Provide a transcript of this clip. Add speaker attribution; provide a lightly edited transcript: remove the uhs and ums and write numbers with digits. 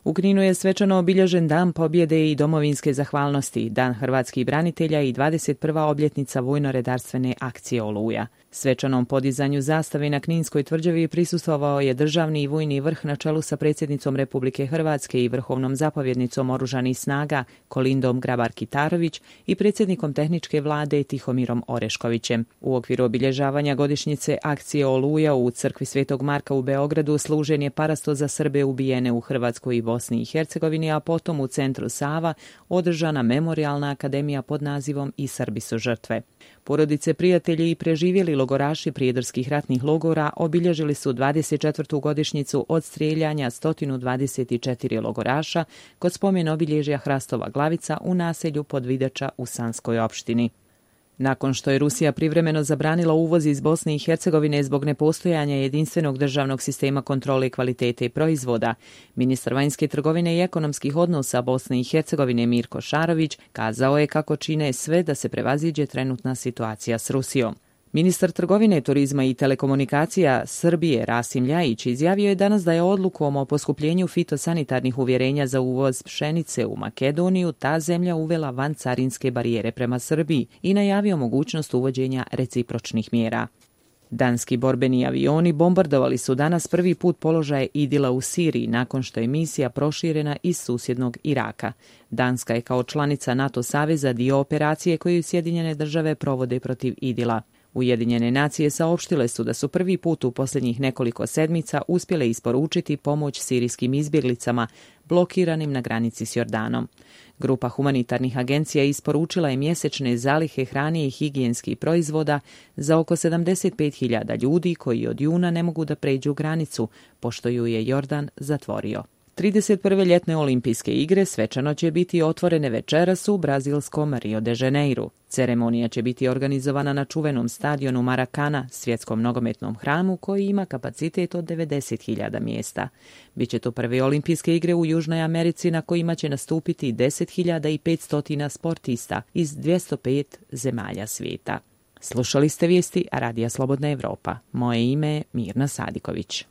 Speaker 1: U Kninu je svečano obilježen Dan pobjede i domovinske zahvalnosti, Dan hrvatskih branitelja i 21. obljetnica vojno-redarstvene akcije Oluja. Svečanom podizanju zastave na Kninskoj tvrđavi prisustvovao je državni i vojni vrh na čelu sa predsjednicom Republike Hrvatske i vrhovnom zapovjednicom Oružanih snaga Kolindom Grabar-Kitarović i predsjednikom tehničke vlade Tihomirom Oreškovićem. U okviru obilježavanja godišnjice akcije Oluja u crkvi Svetog Marka u Beogradu služen je parasto za Srbe ubijene u Hrvatskoj i Bosni i Hercegovini, a potom u centru Sava održana memorijalna akademija pod nazivom I Srbi su žrtve. Porodice, prijatelji i preživjeli logoraši prijedorskih ratnih logora obilježili su 24. godišnjicu od strijeljanja 124 logoraša kod spomen obilježja Hrastova Glavica u naselju Podvidača u Sanskoj opštini. Nakon što je Rusija privremeno zabranila uvoz iz Bosne i Hercegovine zbog nepostojanja jedinstvenog državnog sistema kontrole kvalitete proizvoda, ministar vanjske trgovine i ekonomskih odnosa Bosne i Hercegovine Mirko Šarović kazao je kako čine sve da se prevaziđe trenutna situacija s Rusijom. Ministar trgovine, turizma i telekomunikacija Srbije Rasim Ljajić izjavio je danas da je odlukom o poskupljenju fitosanitarnih uvjerenja za uvoz pšenice u Makedoniju ta zemlja uvela vancarinske barijere prema Srbiji i najavio mogućnost uvođenja recipročnih mjera. Danski borbeni avioni bombardovali su danas prvi put položaje Idila u Siriji nakon što je misija proširena iz susjednog Iraka. Danska je kao članica NATO saveza dio operacije koju Sjedinjene države provode protiv Idila. Ujedinjene nacije saopštile su da su prvi put u posljednjih nekoliko sedmica uspjele isporučiti pomoć sirijskim izbjeglicama blokiranim na granici s Jordanom. Grupa humanitarnih agencija isporučila je mjesečne zalihe hrane i higijenskih proizvoda za oko 75.000 ljudi koji od juna ne mogu da pređu granicu, pošto ju je Jordan zatvorio. 31. ljetne olimpijske igre svečano će biti otvorene večeras u brazilskom Rio de Janeiru. Ceremonija će biti organizovana na čuvenom stadionu Maracana, svjetskom nogometnom hramu koji ima kapacitet od 90.000 mjesta. Biće to prve olimpijske igre u Južnoj Americi na kojima će nastupiti 10.500 sportista iz 205 zemalja svijeta. Slušali ste vijesti Radija Slobodna Evropa. Moje ime je Mirna Sadiković.